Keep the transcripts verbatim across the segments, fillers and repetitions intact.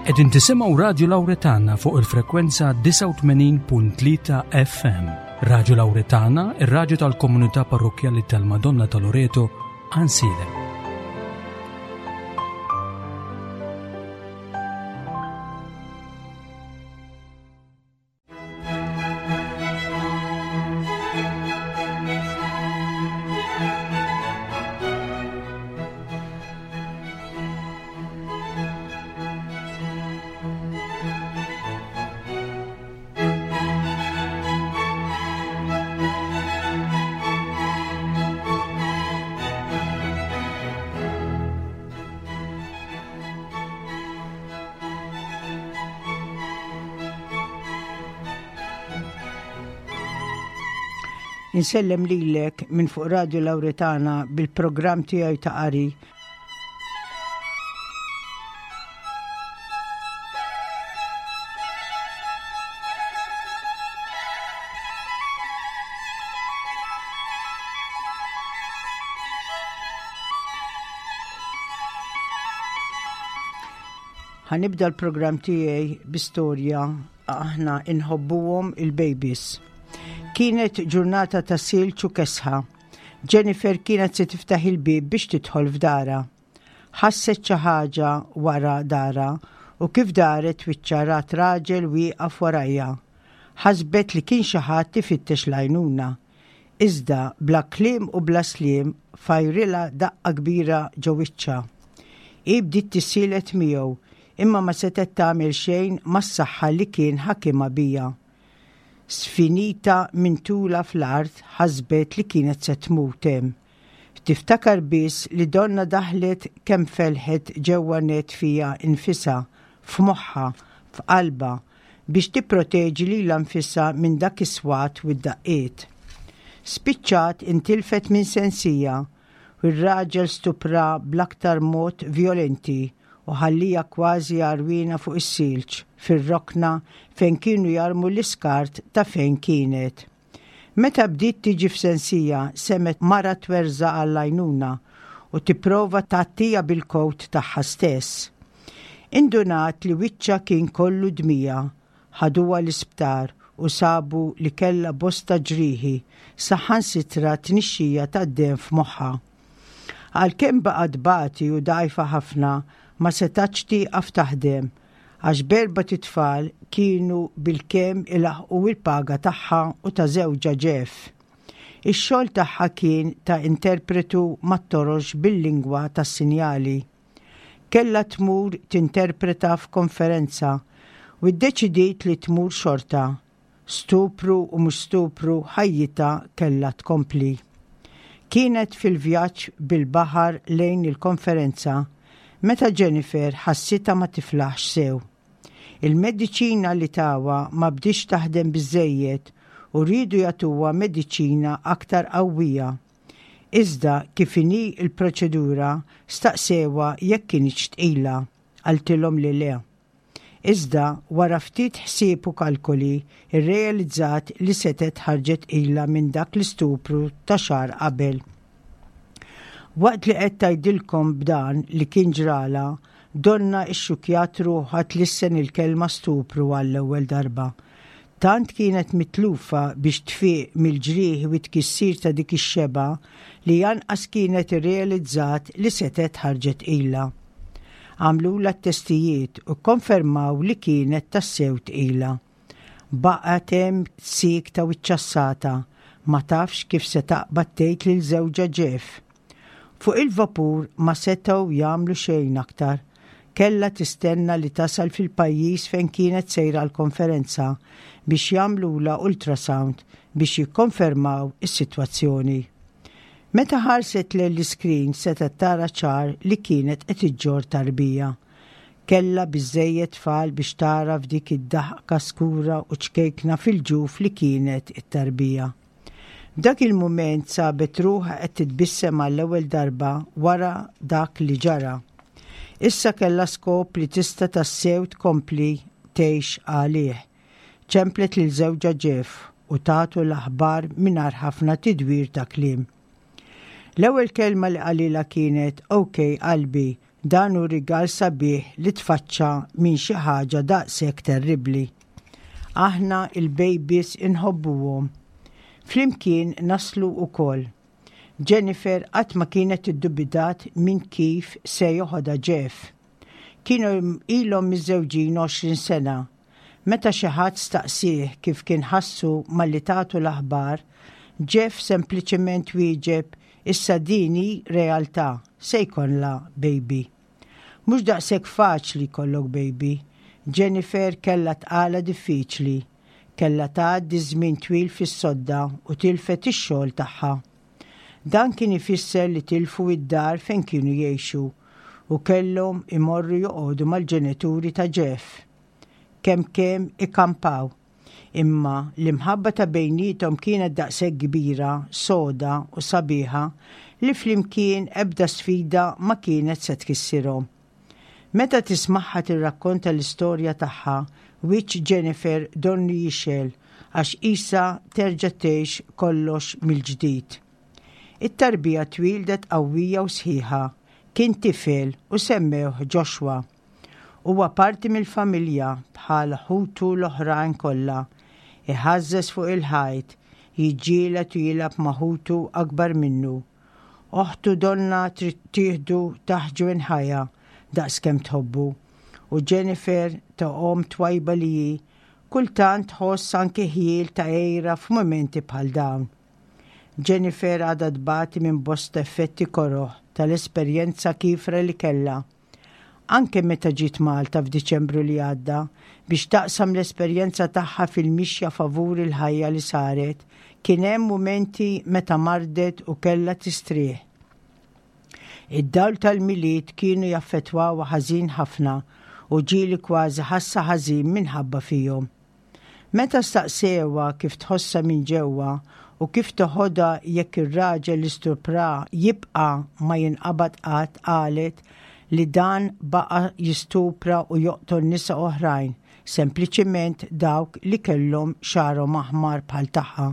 Qegħdin tisimgħu Radio Lauretana fuq il-frekwenza disgħa u tmenin punt tlieta F M. Radio Lauretana, ir-raġu tal-komunità parrokkjali tal-Madonna ta' Loreto, Għajnsielem. Insellem lilek minn fuq Radio Lauretana bil-programm tiegħi ta' qari. Ħa nibda l-programm tiegħi bi storja aħna inħobbuhom il-babies. Kienet ġurnata ta' silġ u kesħa. Jennifer kienet se tiftaħ il-bib biex tidħol f'darha. Ħasset xi ħaġa wara daharha u kif daret wiċċha rat raġel wieqaf warajha. Ħasbet li kien xi ħadd ifittex l-għajnuna. Iżda bla kliem u bla sliem fajrilha daqqa kbira ġo wiċċha. Hi bdiet tissielet miegħu, imma ma setet tagħmel xejn mas-saħħa li kien ħakimha biha. Sfinita minn tula fl-art, ħasbet li kienet se tmut hemm. Tiftakar biss li donna daħlet kemm felħet ġewwa net fiha nfisha, f'moħħha, f'qalba, biex tipproteġi lilha nfisha minn dak is-swat u d-daqqiet. Spiċċat intilfet minn sensiha u r-raġel stupraha bl-aktar mod violenti u ħallieha kważi għarwiena fuq is-silġ fir-rokna fejn kienu jarmu l-iskart ta' fejn kienet. Meta bdiet tiġi f'sensiha, semgħet mara twerżaq għall-għajnuna u tipprova tgħattiha bil-kowt tagħha stess. Indunat li wiċċha kien kollu dmija. Ħaduha l-isptar u sabu li kella bosta ġrieħi, saħansitra tnixxija tad-demm f'moħħha. Għalkemm baqgħet tbati u dgħajfa ħafna, ma setax tieqaf taħdem għax b'erbat itfal kienu bilkemm ilaħqu il-paga tagħha u ta' żewġha Jeff. Ix-xogħol tagħha kien ta' interpretu mat-torox bil-lingwa tas-sinjali. Kella tmur tinterpreta f'konferenza u ddeċidiet li tmur xorta. Stupru u mhux stupru, ħajjitha kella tkompli. Kienet fil-vjaġġ bil-baħar lejn il-konferenza meta Jennifer ħassitha ma tiflaħx sew. Il-mediċina li tawha ma bdietx taħdem biżejjed u riedu jagħtuha mediċina aktar qawwija. Iżda kif inhi il-proċedura, staqsewha jekk kinitx tqila, qaltilhom li le. Iżda wara ftit ħsieb u kalkoli irrealizzat li setet ħarġet tqila minn dak l-istupru ta' xahar qabel. Waqt li qed tgħidilkom b'dan li kien ġrala, donna ixxukjat ruħha tlissen il-kelma "stupru" għall-ewwel darba. Tant kienet mitlufa biex tfiq mill-ġrieħi u tkissir ta' dik ix-xeba li lanqas kienet irrealizzat li setet ħarġet tqila. Għamlulha t-testijiet u konfermaw li kienet tassew tqila. Baqgħet hemm siekta u ċċassata, ma tafx kif se taqbad tgħid lil żewġha Jeff. Fuq il-vapur ma setgħu jagħmlu xejn aktar. Kella tistenna li tasal fil-pajjiż fejn kienet sejra l-konferenza biex jagħmlulha ultrasound biex jikkonfermaw is-sitwazzjoni. Meta ħarset lejn l-iskrin, setgħet tara ċar li kienet qed iġġorr tarbija. Kella biżejjed tfal biex tara f'dik id-daħka skura u ċkejkna fil-ġuf li kienet it-tarbija. F'dak il-mument sabet ruħha qed titbissem għall-ewwel darba wara dak li ġara. Issa kellha skop li tista' tassew tkompli tgħix għalih. Ċemplet lil żewġha Jeff u tatu l-aħbar mingħajr ħafna tidwir ta' kliem. L-ewwel kelma li qalilha kienet: "Ok qalbi, Dan hu rigal sabiħ li tfaċċa minn xi ħaġa daqshekk terribbli. Aħna il-babies inħobbuhom. Flimkien naslu ukoll. Jennifer qatt ma kienet iddubitat minn kif se joħodha Jeff. Kienu ilhom miżżewġin għoxrin sena. Meta xi ħadd staqsih kif kien ħassu malli tatu l-aħbar, Jeff sempliċement wieġeb issa din hi realtà, se jkollna baby. Mhux daqshekk faċli jkollok baby. Jennifer kellha tqala diffiċli, kellha tgħaddi żmien twil fis-sodda u tilfet ix-xogħol tagħha. Dan kien ifisser li tilfu id-dar fejn kienu jgħixu u kellhom imorru joqogħdu mal-ġenituri ta' Jeff. Kemm kemm ikampaw. Imma l-imħabba ta' bejniethom kienet daqshekk kbira, soda u sabiħa li flimkien ebda sfida ma kienet se tkissirhom. Meta tismagħha tirrakkonta l-istorja tagħha, wiċċ Jennifer donnu jixgħel għax qisha terġa' tgħix kollox mill-ġdid. It-tarbija twildet qawwija u sħiħa, kien tifel u semmewh Joshua. Huwa parti mill-familja bħal ħutu l-oħrajn kollha, iħażżeż fuq il-ħajt, jiġġieled u jilgħab ma' ħutu akbar minnu. Oħtu donna trid tieħdu taħt ġwenħajha daqskemm tħobbu. U Jennifer ta' omm twajba li hi, kultant tħoss anke ħjiel ta' għira f'mumenti bħal dawn. Jennifer għadha tbati minn bosta effetti koroh tal-esperjenza kiefra li kellha. Anke meta ġiet Malta f'Diċembru li għadda biex taqsam l-esperjenza tagħha fil-mixja favur il-ħajja li saret, kien hemm mumenti meta mardet u kellha tistrieħ. Id-dawl tal-Milied kienu jaffettwawha ħażin ħafna u ġieli kważi ħassa ħażin minħabba fihom. Meta staqsewha kif tħossha minn ġewwa u kif toħodha jekk ir-raġel li stupra jibqa' ma jinqabad qatt, qalet li dan baqa' jistupra u joqtol nisa oħrajn, sempliċiment dawk li kellhom xagħarhom aħmar bħal tagħha.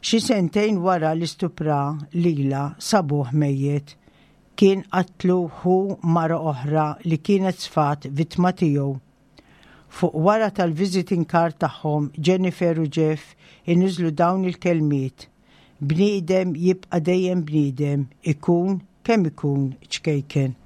Xi sentejn wara li stupra lila sabuh mejjet. Kien qatlu hu mara oħra li kienet sfat vittma tiegħu. Fuq wara tal-visiting card tagħhom Jennifer u Jeff iniżlu dawn il-kelmiet. Bniedem jibqa' dejjem bniedem, ikun kemm ikun ċkejken.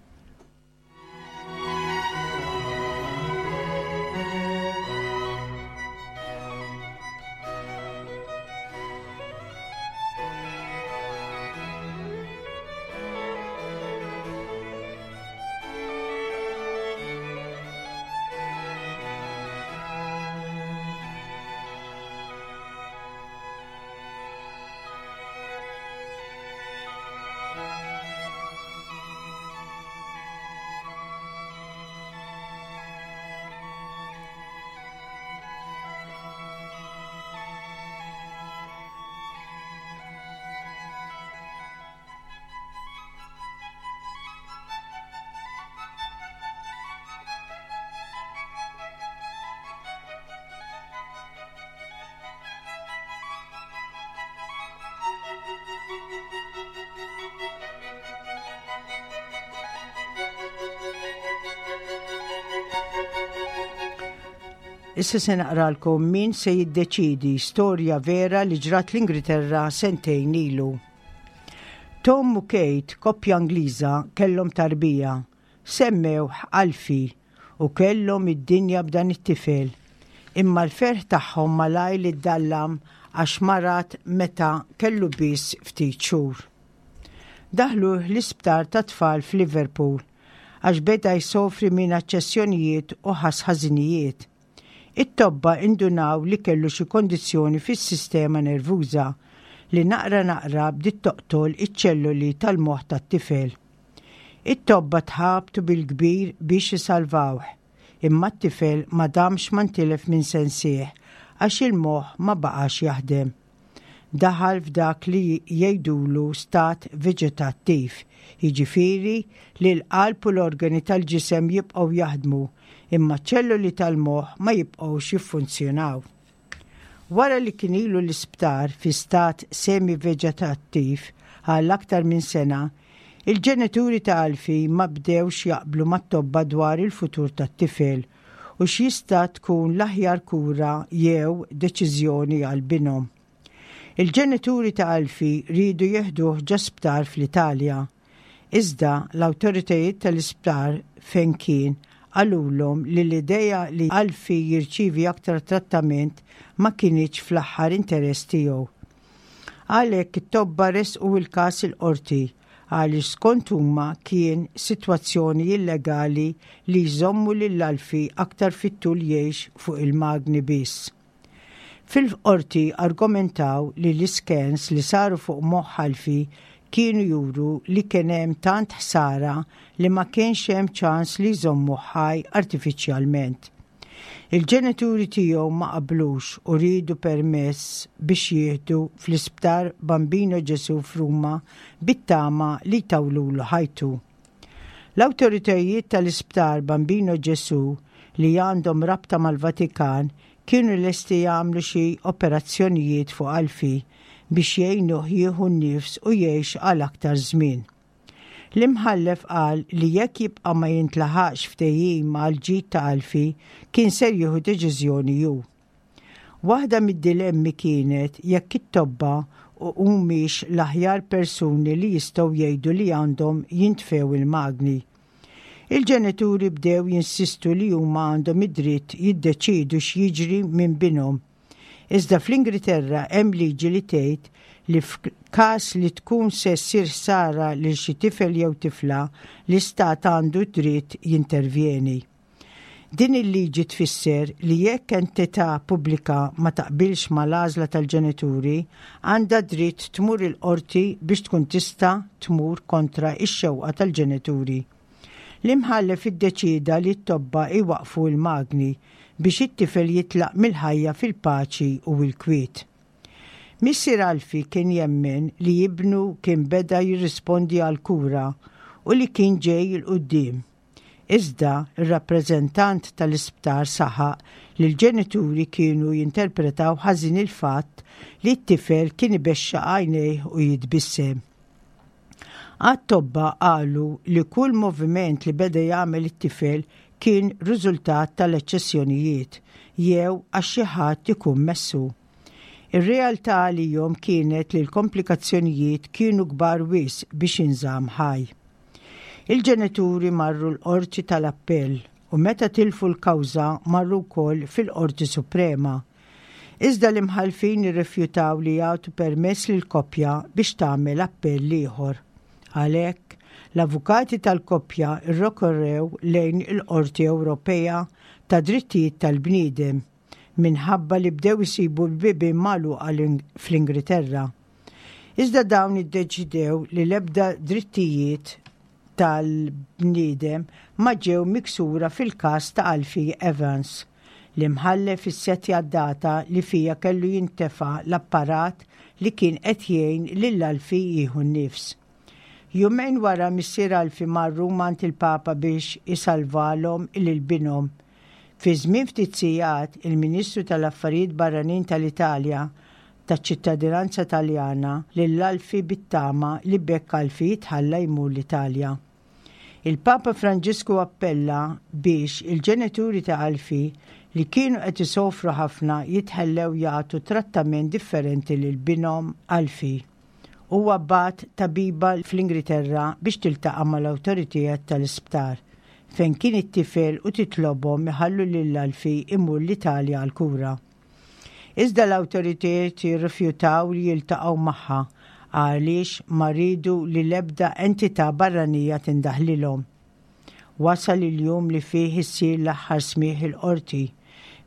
Issa se naqralkom min se jiddeċidi storja vera li ġrat l-Ingilterra sentejn ilu. Tom u Kate, koppja Ingliża, kellhom tarbija, semmewh Alfie u kellhom id-dinja b'dan it-tifel. Imma l-ferħ tagħhom malajr li ddallam għax marad meta kellu biss ftit xhur. Daħluh l-isptar ta' tfal f'Liverpool għax beda jsofri minn aċċessjonijiet u ħass ħażinijiet. It-tobba indunaw li kellu xi kondizzjoni fis-sistema nervuża li naqra naqra bdiet toqtol iċ-ċelluli tal-moħħ tat-tifel. It-tobba tħabtu bil-kbir biex isalvawh, imma t-tifel ma damx ma ntilef minn sensih għax il-moħħ ma baqax jaħdem. Daħal f'dak li jgħidulu stat veġetattiv, jiġifieri li l-qalb u l-organi tal-ġisem jibqgħu jaħdmu, imma ċ-ċelluli tal-moħħ ma jibqgħux jiffunzjonaw. Wara li kien ilu l-isptar fi stat semi-veġetattiv għal aktar minn sena, Il-ġenituri ta' Alfie ma bdewx jaqblu mat-tobba dwar il-futur tat-tifel u x'jista' tkun l-aħjar kura jew deċiżjoni għal binhom. Il-ġenituri ta' Alfie riedu jeħduh ġo sptar fl-Italja. Iżda l-awtoritajiet tal-isptar fejn kien qalulhom li l-ideja li Alfie jirċivi aktar trattament ma kinitx fl-aħjar interess tiegħu. Għalhekk it-tobba resqu il-każ il-qorti għaliex skont huma kien sitwazzjoni illegali li jżommu lil Alfie aktar fit-tul jgħix fuq il-magni biss. Fil-qorti argumentaw li l-iskens li saru fuq moħħ Alfie kienu juru li kien hemm tant ħsara li ma kienx hemm ċans li jżommu ħaj artifiċjalment. Il-ġenituri tiegħu ma qablux u riedu permess biex jieħdu fl-isptar Bambino Ġesu f'Ruma bit-tama li jtawlulu ħajtu. L-awtoritajiet tal-isptar Bambino Ġesu li għandhom rabta mal-Vatikan kienu lesti jagħmlu xi operazzjonijiet fuq Alfie biex jgħinuh jieħu n-nifs u jgħix għal aktar żmien. L-imħallef qal li jekk jibqa' ma jintlaħaqx ftehim għall-ġid ta' Alfie kien ser jieħu deċiżjoni hu. Waħda mid-dilemmi kienet jekk it-tobba humiex l-aħjar persuni li jistgħu jgħidu li għandhom jintfew il-magni. Il-ġenituri bdew jinsistu li huma għandhom id-dritt jiddeċidu x'jiġri minn binhom. Iżda fl-Ingilterra hemm liġi li tgħid li f'każ li tkun se ssir ħsara lil xi tifel jew tifla, l-istat għandu dritt jintervjeni. Din il-liġi tfisser li jekk entità pubblika ma taqbilx mal-għażla tal-ġenituri, għandha dritt tmur il-qorti biex tkun tista' tmur kontra ix-xewqa tal-ġenituri. L-imħallef iddeċida li t-tobba iwaqfu l-magni biex it-tifel jitlaq mill-ħajja fil-paċi u l-kwiet. Missier Alfie kien jemmen li ibnu kien beda jirrispondi għal kura u li kien ġej 'il quddiem. Iżda ir-rappreżentant tal-isptar saħaq li l-ġenituri kienu jinterpretaw ħażin il-fatt li t-tifel kien ibexxaq għajnejh u jitbissem. Għat-tobba qalu li kull moviment li beda jagħmel it-tifel kien riżultat tal-eċċezzjonijiet jew għax xi ħadd ikun messu. Ir-realtà għalihom kienet li l-komplikazzjonijiet kienu kbar wisq biex inżamm ħaj. Il-ġenituri marru l-qorti tal-appell u meta tilfu l-kawża marru wkoll fil-qorti suprema. Iżda l-imħallfin irrifjutaw li jagħtu permess lill-koppja biex tagħmel appell ieħor. Għalhekk, l-avukati tal-koppja rrikorrew lejn il-Qorti Ewropea ta' Drittijiet tal-Bniedem minħabba li bdew isibu l-bibien magħluqa fl-Ingilterra. Iżda dawn iddeċidew li l-ebda drittijiet tal-bniedem ma ġew miksura fil-każ ta' Alfie Evans. L-imħallef issettja data li fija kellu jintefa l-apparat li kien qed jgħin lil Alfie jieħu n-nifs. Jumejn wara missier Alfie marru għand il-Papa biex isalvalhom lil binhom. Fi żmien ftit sigħat il-Ministru tal-Affarijiet Barranin tal-Italja taċ-ċittadinanza Taljana lil Alfie bit-tama li b'hekk Alfie jitħalla jmur l-Italja. Il-Papa Franġisku appella biex il-ġenituri ta' Alfie li kienu qed isofru ħafna jitħallew jagħtu trattament differenti lil binhom Alfie. Huwa bagħat tabiba fl-Ingilterra biex tiltaqa' mal-awtoritajiet tal-isptar fejn kien it-tifel u titlobhom iħallu lil Alfie imur l-Italja għal kura. Iżda l-awtoritajiet jirrifjutaw li jiltaqgħu magħha għaliex ma riedu li l-ebda entità barranija tindaħlilhom. Wasal il-jum li fih issir l-aħħar smigħ il-qorti.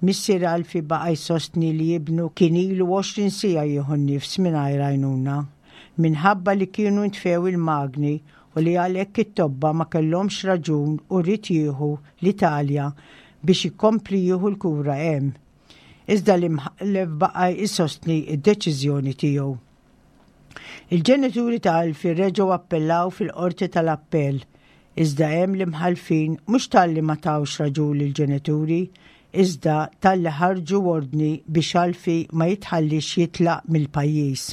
Missier Alfie baqa' jsostni li ibnu kien ilu għoxrin siegħa jieħu n-nifs mingħajr għajnuna. Minħabba li kienu ntfew il-magni u li għalhekk it-tobba ma kellhomx raġun u ried jieħu l-Italja biex ikompli jieħu l-kura hemm. Iżda l-imħallef baqa' jsostni d-deċiżjoni tiegħu. Il-ġenituri ta' Alfie reġgħu appellaw fil-qorti tal-appell, iżda hemm l-imħallfin mhux talli ma tawx raġun lill-ġenituri, iżda talli ħarġu ordni biex Alfie ma jitħallix jitlaq mill-pajjiż.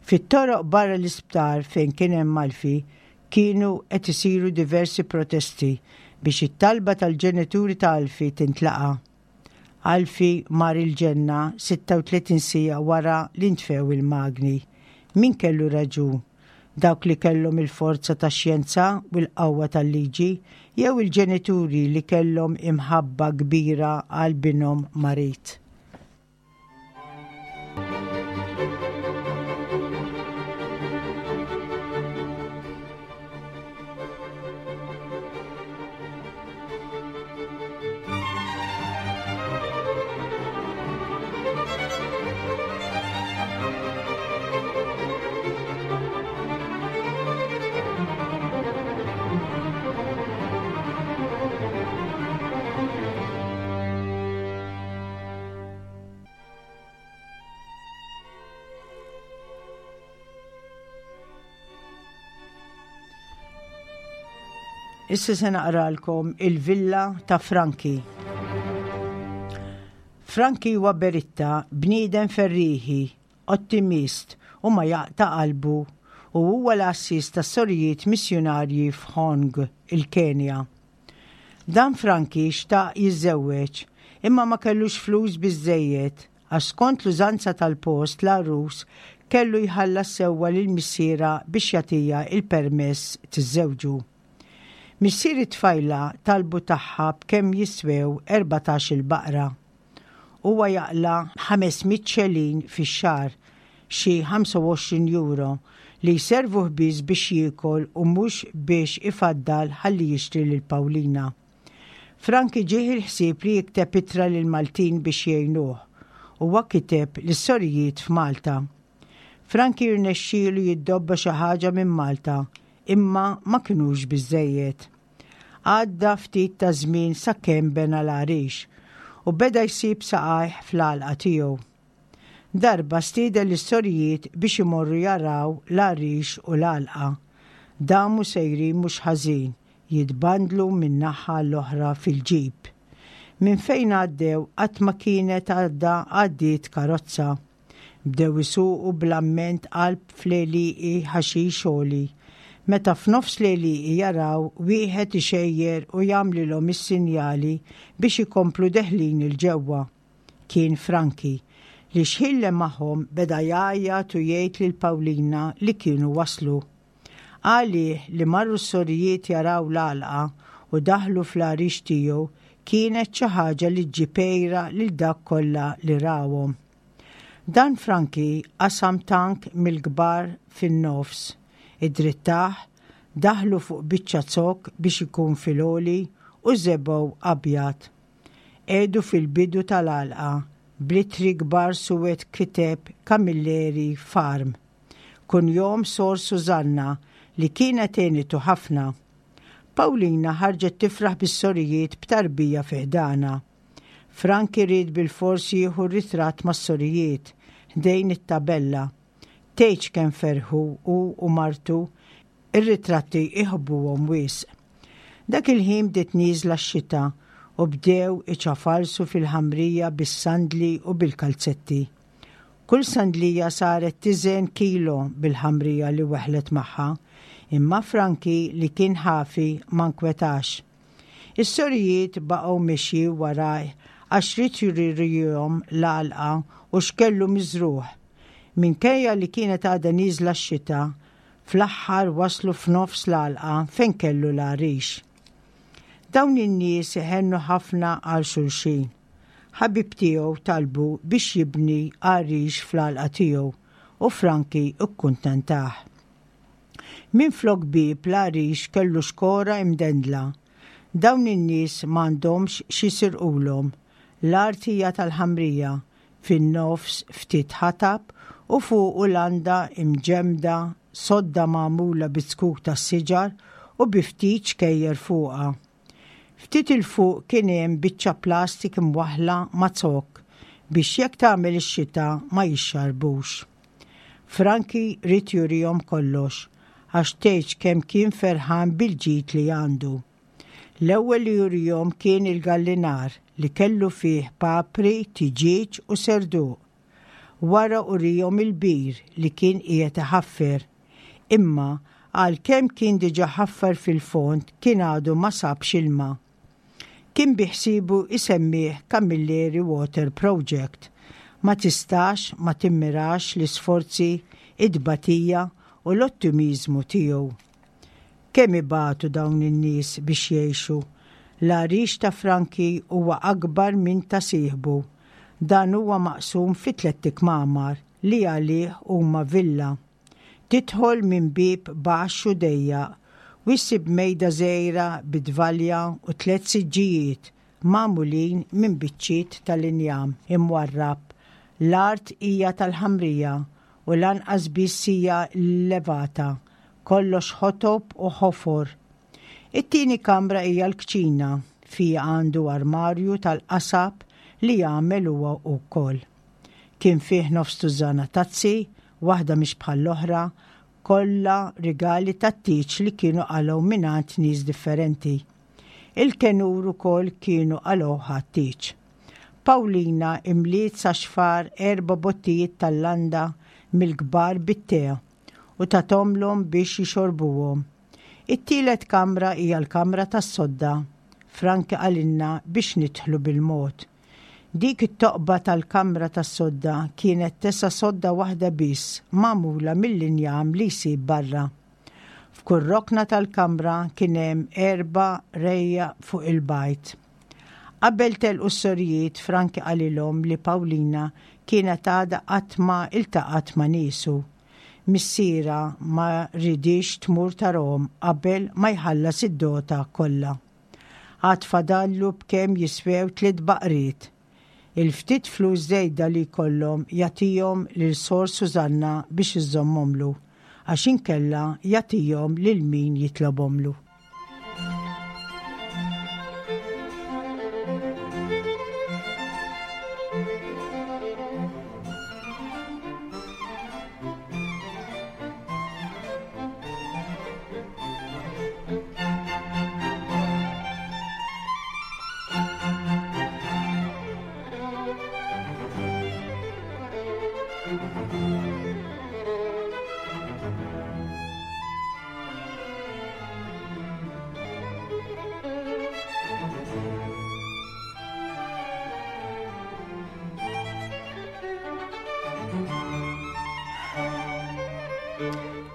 Fit-toroq barra l-isptar fejn kien hemm Alfie Kienu qed isiru diversi protesti biex it-talba tal-ġenituri ta' Alfie tintlaqa'. Alfie mar il-ġenna sitta u tletin siegħa wara li ntfew il-magni. Min kellu raġun? Dawk li kellhom il-forza ta' xjenza u l-qawwa tal-liġi jew il-ġenituri li kellhom imħabba kbira għal binhom marid? Issa se naqralkom Il-Villa ta' Franki. Franki huwa beritta, bniedem ferriħi, ottimist u ma jaqta' qalbu u huwa l-għassies ta' sorijiet missjonarji f'Hong, il-Kenja. Dan Franki xtaq jiżżewweġ imma ma kellux flus biżejjed għax skont l-użanza tal-post l-għarus kellu jħallas sewwa lil missierha biex jagħtiha il-permess tiżżewġu. Missier it-tfajla talbu tagħha b'kemm jiswew erbatax il-baqra. Huwa jaqla' ħames mitt xelin fix-xahar, xi ħamsa u għoxrin euro, li jservuh biss biex jiekol u mhux biex ifaddal ħalli jixtri lil Paulina. Franki ġieħ il-ħsieb li jikteb ittra lil Maltin biex jgħinuh. Huwa kiteb lis-sorijiet f'Malta. Franki rnexxielu jiddobba xi ħaġa minn Malta, imma ma kinux biżejjed. Għadda ftit ta' żmien sakemm bena l-għarix u beda jsib saqajh fl-għalqa tiegħu. Darba stieden lis-sorijiet biex imorru jaraw l-għarix u l-għalqa. Damu sejrin mhux ħażin jitbandlu minn naħa l-oħra fil-ġip. Minn fejn għaddew qatt ma kienet għadda għaddiet karozza. Bdew isuqu bl-amment qalb fl-għelieqi ħaxix għoli. Meta f'nofs l-għelieqi jaraw wieħed ixejjer u jagħmlilhom is-sinjali biex ikomplu deħlin 'il ġewwa. Kien Franki li xħin magħhom beda jgħajjat u jgħid lil Paulina li kienu waslu. Għalih li marru s-sorijiet jaraw l-għalqa u daħlu fl-għarix tiegħu kienet xi ħaġa li ġġib għira lil dak kollha li rawhom. Dan Franki qasam tank mill-kbar fin-nofs, id-drittaħ, daħlu fuq biċċa zokk biex ikun fil-għoli u żebgħu abjad. Qiegħdu fil-bidu tal-għalqa bl-ittri kbar suwed kiteb Camilleri Farm. Kunjom Sor Susanna li kienet għenitu ħafna. Paulina ħarġet tifraħ bis-sorijiet b'tarbija fi ħdanha. Franki ried bil-fors jieħu ritratt mas-sorijiet ħdejn it-tabella. Tgħidx kemm ferħu u u martu, ir-ritratti iħobbuhom wisq. Dak il-ħin bdiet nieżla x-xita u bdew iċafalsu fil-ħamrija bis-sandli u bil-kalzetti. Kull sandlija saret tiżen kilo bil-ħamrija li weħlet magħha, imma Franki li kien ħafi ma nkwetax. Is-sorijiet baqgħu mexi waraj għax ried jurihom l-għalqa u x'kellu miżrugħ. Minkejja li kienet għadha nieżla x-xita, fl-aħħar waslu f'nofs l-għalqa fejn kellu l-għarix. Dawn in-nies iħennu ħafna għal xulxin. Ħabib tiegħu talbu biex jibni għarix fl-għalqa tiegħu u Franki ikkuntentah. Min flok bieb l-għarix kellu xkora imdendla. Dawn in-nies m'għandhomx x'jisirqulhom. L-art hija tal-ħamrija, fin-nofs ftit ħatab u fuq landa imġemda, sodda magħmula bi zkuk tas-siġar u bi ftit xkejjer fuqha. Ftit 'il fuq kien hemm biċċa plastik imwaħla ma' zokk biex jekk tagħmel ix-xita ma jixxarbux. Franki ried jurihom kollox għax tgħidx kemm kien ferħan bil-ġid li għandu. L-ewwel li jurihom kien il-gallinar li kellu fih papri, tiġieġ u serduq. Wara urihom il-bir li kien qiegħed iħaffer. Imma Għalkemm kien diġà ħaffer fil-fond kien għadu ma sabx ilma. Kien biħsiebu isemmih Camilleri Water Project. Ma tistax ma timmirax l-isforzi, id-batija u l-ottimizmu tiegħu. Kemm ibatu dawn in-nies biex jgħixu. L-għarix ta' Franki huwa akbar minn ta' sieħbu. Dan huwa maqsum fi tliet kmamar li għalih huma villa. Tidħol minn bieb baxx u dejjaq u ssib mejda żgħira bit-tvalja u tliet siġġijiet magħmulin minn biċċiet tal-injam imwarrab. L-art hija tal-ħamrija u lanqas biss hija levata. Kollox ħotob u ħofor. It-tieni kamra hija l-kċina, fija għandu armarju tal-qasab li jagħmel huwa wkoll. Kien fih nofs tużana tazzi, waħda mhix bħall-oħra, kollha rigali tat-tieġ li kienu qalgħu mingħand nies differenti. Il-kenur ukoll kienu qalgħu ħat-tieġ. Paulina imliet sa xfar erba' bottijiet tal-landa mill-kbar bit-te u tathomlhom biex jixorbuhom. It-tielet kamra hija l-kamra tas-sodda. Franki qalilna biex nidħlu bil-mod. Dik it-toqba tal-kamra tas-sodda kienet tesa' sodda waħda biss magħmula mill-injam li jsib barra. F'kull rokna tal-kamra kien hemm erba' rejja fuq il-bajt. Qabel telqu s-sorijiet, Franki qalilhom li Paulina kienet għadha qatt ma iltaqgħet ma' niesu. Missiera ma ridix tmur tarahom qabel ma jħallas id-dota kollha. Għad fadallu b'kemm jiswew tliet baqriet. Il-ftit flus żejda li jkollhom jagħtihom lil Sor Susanna biex iżommhomlu, għax inkella jagħtihom lil min jitlobhomlu.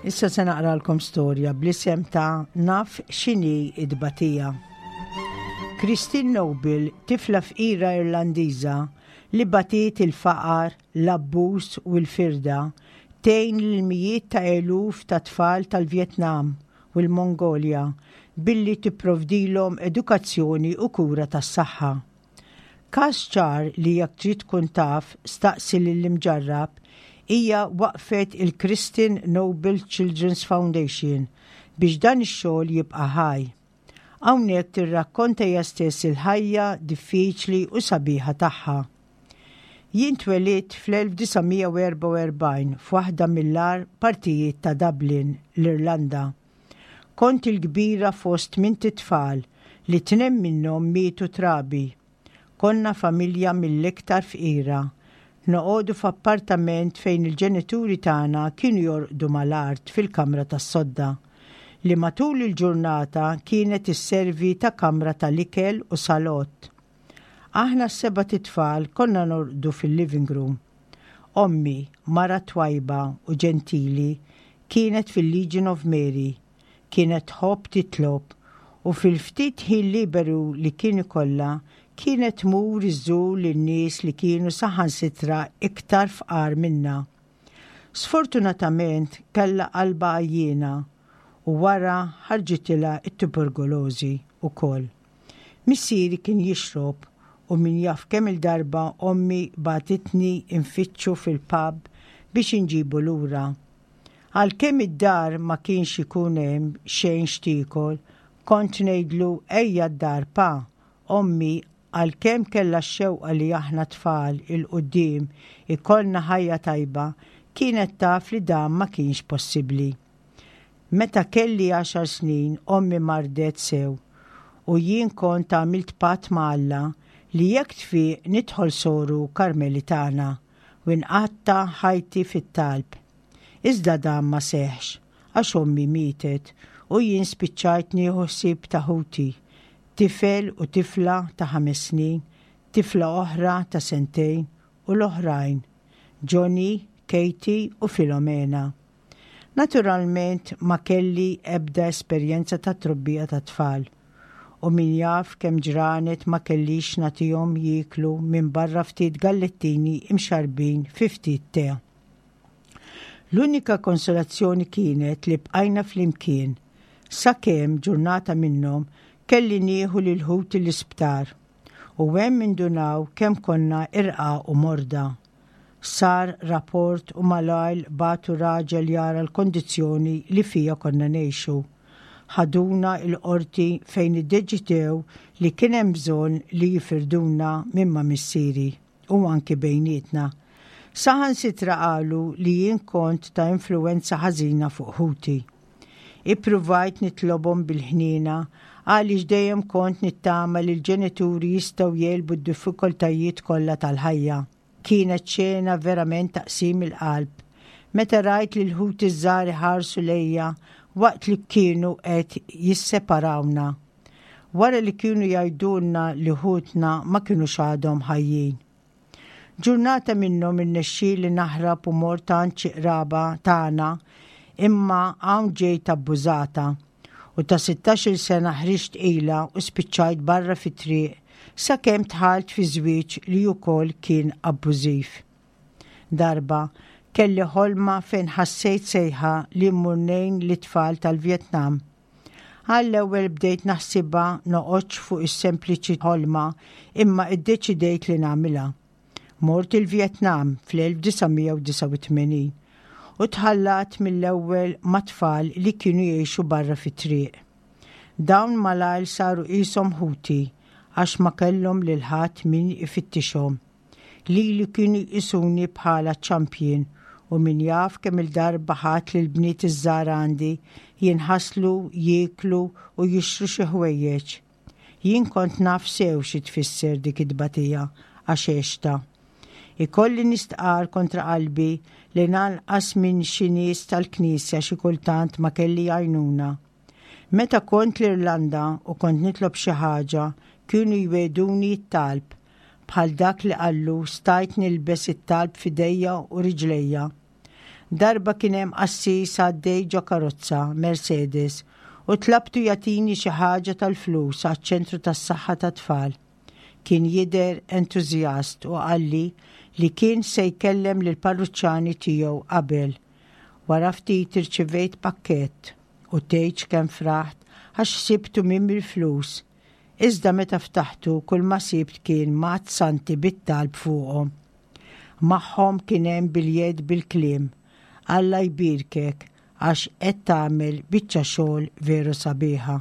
Issa se naqralkom storja bl-isem ta' Naf x'inhi id-batija. Christine Noble, tifla fqira Irlandiża li batiet il-faqar, l-abbuż u l-firda, tgħin lil mijiet ta' eluf ta' tfal tal-Vjetnam u l-Mongolja billi tipprovdilhom edukazzjoni u kura tas-saħħa. Każ ċar li jekk trid tkun taf staqsi lill-imġarrab hija waqfet il-Christine Noble Children's Foundation biex dan ix-xogħol jibqa' ħaj. Hawnhekk tirrakkonta hija stess il-ħajja diffiċli u sabiħa tagħha. Jien twelidt fl-elf disa' mija u erbgħa u erbgħin f'waħda mill-agħar partijiet ta' Dublin, l-Irlanda. Kont il-kbira fost tmint itfal li tnejn minnhom mietu trabi. Konna familja mill-iktar fqira. Noqogħdu f'appartament fejn il-ġenituri tagħna kienu jorqdu mal-art fil-kamra tas-sodda, li matul il-ġurnata kienet isservi ta' kamra tal-ikel u salott. Aħna s-seba' titfal konna norqdu fil-living room. Ommi, mara twajba u ġentili, kienet fil-Legion of Mary, kienet tħobb titlob u fil-ftit ħin liberu li kien ikollha kienet tmur iżżur lin-nies li kienu saħansitra iktar fqar minna. Sfortunatament kellha qalba għajjiena u wara ħarġitilha t-tuberkulożi wkoll. Missieri kien jixrob u min jaf kemm il-darba ommi bagħtitni nfittxu fil-pub biex inġibu lura. Għalkemm id-dar ma kienx ikun hemm xejn x'tiekol, kont ngħidlu ejja d-dar pa, ommi għalkemm kellha x-xewqa li aħna tfal il-quddiem ikollna ħajja tajba, kienet taf li dan ma kienx possibbli. Meta kelli għaxar snin, ommi mardet sew u jien kont għamilt patt ma' Alla li jekk tfiq nidħol soru Karmelitana u nqatta' ħajti fit-talb. Iżda dan ma seħx, għax ommi mietet u jien spiċċajt nieħu ħsieb ta' ħuti, tifel u tifla ta' ħames snin, tifla oħra ta' sentejn u l-oħrajn, Johnny, Katie u Filomena. Naturalment ma kelli ebda esperjenza ta' trobbija ta' tfal u min jaf kemm ġranet ma kellix nagħtihom jieklu minn barra ftit gallettini imxarbin fi ftit te. L-unika konsolazzjoni kienet li bqajna flimkien, sakemm ġurnata minnhom kelli nieħu lil ħuti l-isptar u hemm indunaw kemm konna irqaq u morda. Sar rapport u malajr bagħtu raġel jara l-kondizzjoni li fija konna ngħixu. Ħaduna il-qorti fejn iddeċidew li kien hemm bżonn li jifirduna minn ma' missieri u anki bejnietna. Saħansitra qalu li jien kont ta' influenza ħażina fuq ħuti. Ippruvajt nitlobhom bil-ħniena għaliex dejjem kont nittama li l-ġenituri jistgħu jegħlbu d-diffikultajiet kollha tal-ħajja. Kienet xena verament taqsim il-qalb. Meta rajt li l-ħuti żgħar ħarsu lejja waqt li kienu qed jisseparawna. Wara li kienu jgħidulna li ħutna ma kinux għadhom ħajjin. Ġurnata minnhom irnexxieli naħrab u mort għand xi qraba tagħna imma hawn ġejt abbużata u ta' sittax-il sena ħriġt ila u spiċċajt barra fit-triq sakemm dħalt fi żwieġ li wkoll kien abbużiv. Darba kelli ħolma fejn ħassejt sejħa li mmur ngħin lit-tfal tal-Vjetnam. Għall-ewwel bdejt naħsibha noqgħodx fuq is-sempliċi ħolma imma iddeċidejt li nagħmilha. Mort il-Vjetnam fl-elf disa' mija u disgħa u tmenin u tħallat mill-ewwel ma' tfal li kienu jgħixu barra fit-triq. Dawn malajr saru qishom ħuti għax ma kellhom lil ħadd min ifittixhom. Lili kienu jqisuni bħala champion u min jaf kemm il-darba ħadd lil bniet iż-żgħar għandi jinħaslu, jieklu u jixtru xi ħwejjeġ. Jien kont naf sew xi tfisser dik it-tbatija għax għexta. Ikolli nistqar kontra qalbi li nanqas minn xi nies tal-Knisja xi kultant ma kelli għajnuna. Meta kont l-Irlanda u kont nitlob xi ħaġa, kienu jwegħduni t-talb, bħal dak li qallu stajt nilbes it-talb f'idejja u riġlejja. Darba kien hemm qassis għaddej ġo karozza Mercedes u tlabtu jagħtini xi ħaġa tal-flus għaċ-ċentru tas-saħħa tat-tfal. Kien jidher entużjast u qalli li kien se jkellem lil parruċċani tiegħu qabel. Wara ftit irċivejt pakkett u tgħidx kemm fraħt għax sibtu minn il-flus. Iżda meta ftaħtu kull ma sibt kien mat santi bit-talb fuqhom. Magħhom kien hemm biljett bil-kliem. Alla jbierkek għax qed tagħmel biċċa xogħol veru sabiħa.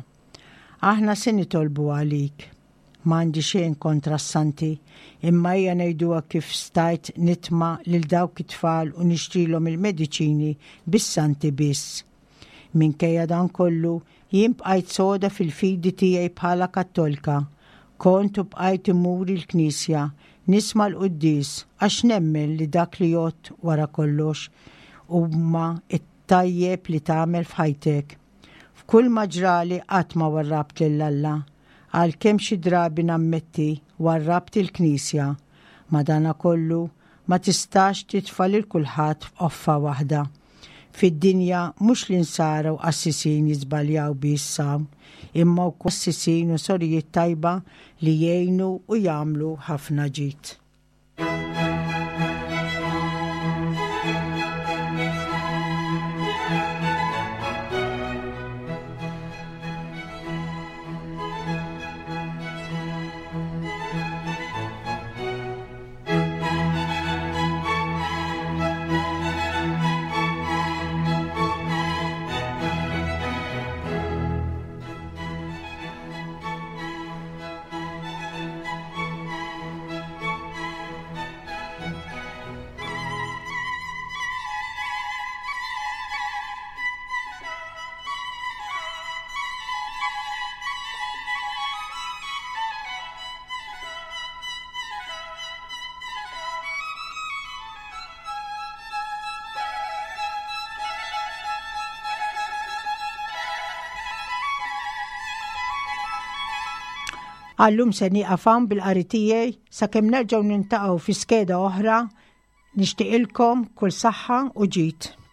Aħna se nitolbu għalik. M'għandi xejn kontra s-santi, imma hija ngħiduha kif stajt nitma' lil dawk it-tfal u nixtrilhom il-mediċini bis-santi biss. Minkejja dan kollu, jien bqajt soda fil-fidi tiegħi bħala Kattolika. Kont u bqajt immur il-Knisja, nisma' l-quddies għax nemmen li dak li jgħodd wara kollox huma t-tajjeb li tagħmel f'ħajtek. F'kull ma ġrali qatt ma warrabt lil Alla, għalkemm xi drabi nammetti warrabt il-Knisja. Madanakollu ma tistax titfa' lil kulħadd f'qoffa waħda. Fid-dinja mhux l-insara u qassisin jiżbaljaw biss hawn, imma wkoll qassisin u sorijiet tajba li jgħinu u jagħmlu ħafna ġid. Għal-lum se nieqaf hawn bil-qari tiegħi sakemm nerġgħu niltaqgħu fi skeda oħra. Nixtieqilkom kull saħħa u ġid.